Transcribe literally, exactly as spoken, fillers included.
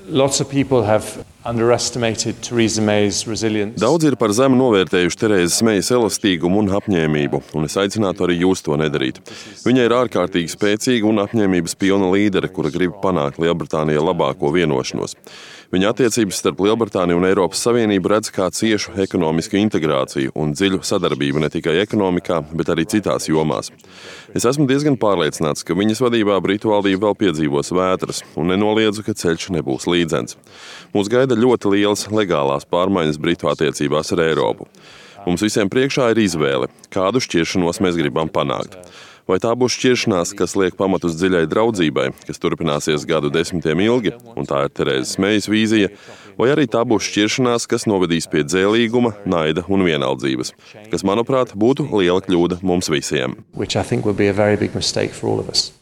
Lots of people have underestimated Theresa May's resilience. Daudz ir par zemu novērtējuši Terēzes Mejas elastīgumu un apņēmību, un es aicinātu arī jūs to nedarīt. Viņa ir ārkārtīgi spēcīga un apņēmības pilna līdere, kura grib panākt Lielbritānijai labāko vienošanos. Viņa attiecības starp Lielbritāniju un Eiropas Savienību redz kā ciešu ekonomisku integrāciju un dziļu sadarbību ne tikai ekonomikā, bet arī citās jomās. Es esmu diezgan pārliecināts, ka viņas vadībā Britu valdība vēl piedzīvos vētras, un nenoliedzu, ka ceļš nebūs līdzens. Mūs gaida ļoti lielas legālās pārmaiņas Britu attiecībās ar Eiropu. Mums visiem priekšā ir izvēle, kādu šķiršanos mēs gribam panākt. Vai tā būs šķiršanās, kas liek pamatus dziļai draudzībai, kas turpināsies gadu desmitiem ilgi, un tā ir Terēzes Mejas vīzija, vai arī tā būs šķiršanās, kas novedīs pie dzēlīguma, naida un vienaldzības, kas, manuprāt, būtu liela kļūda mums visiem. Which I think would be a very big mistake for all of us.